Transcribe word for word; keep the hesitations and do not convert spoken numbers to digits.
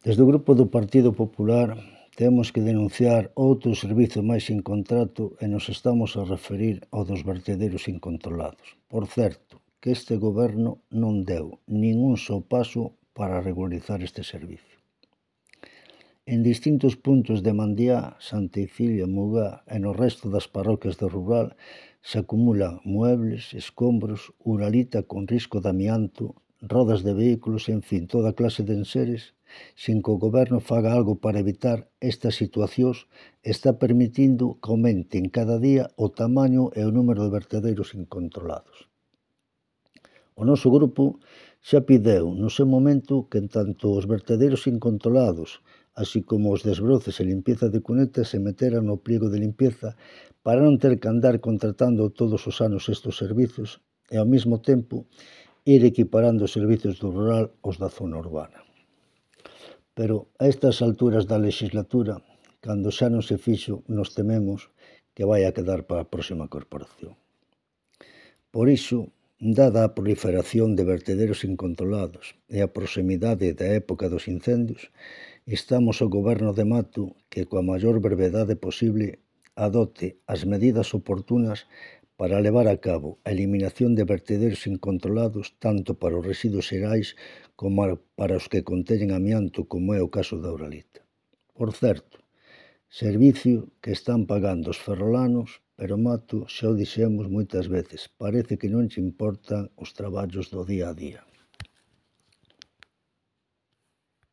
Desde o Grupo do Partido Popular temos que denunciar outro servizo máis sin contrato e nos estamos a referir ao dos vertederos incontrolados. Por certo, que este Goberno non deu nin un só paso para regularizar este servizo. En distintos puntos de Mandiá, Santa Icilia, Mugá e no resto das parroquias do rural se acumulan muebles, escombros, uralita con risco de amianto, rodas de vehículos, en fin, toda clase de enseres, sin que o Goberno faga algo para evitar estas situacións, está permitindo que aumenten cada día o tamaño e o número de vertederos incontrolados. O noso grupo xa pideu no seu momento que tanto os vertederos incontrolados, así como os desbroces e limpieza de cunetas se meteran no pliego de limpieza para non ter que andar contratando todos os anos estes servizos e ao mesmo tempo ir equiparando os servizos do rural aos da zona urbana. Pero a estas alturas da legislatura, cando xa non se fixo, nos tememos que vai a quedar para a próxima corporación. Por iso, dada a proliferación de vertederos incontrolados e a proximidade da época dos incendios, instamos ao Goberno de Mato que coa maior brevedade posible adopte as medidas oportunas para levar a cabo a eliminación de vertederos incontrolados tanto para os residuos xerais como para os que conteñen amianto, como é o caso da uralita. Por certo, servicio que están pagando os ferrolanos, pero Mato, xa o dixemos moitas veces, parece que non lle importan os traballos do día a día.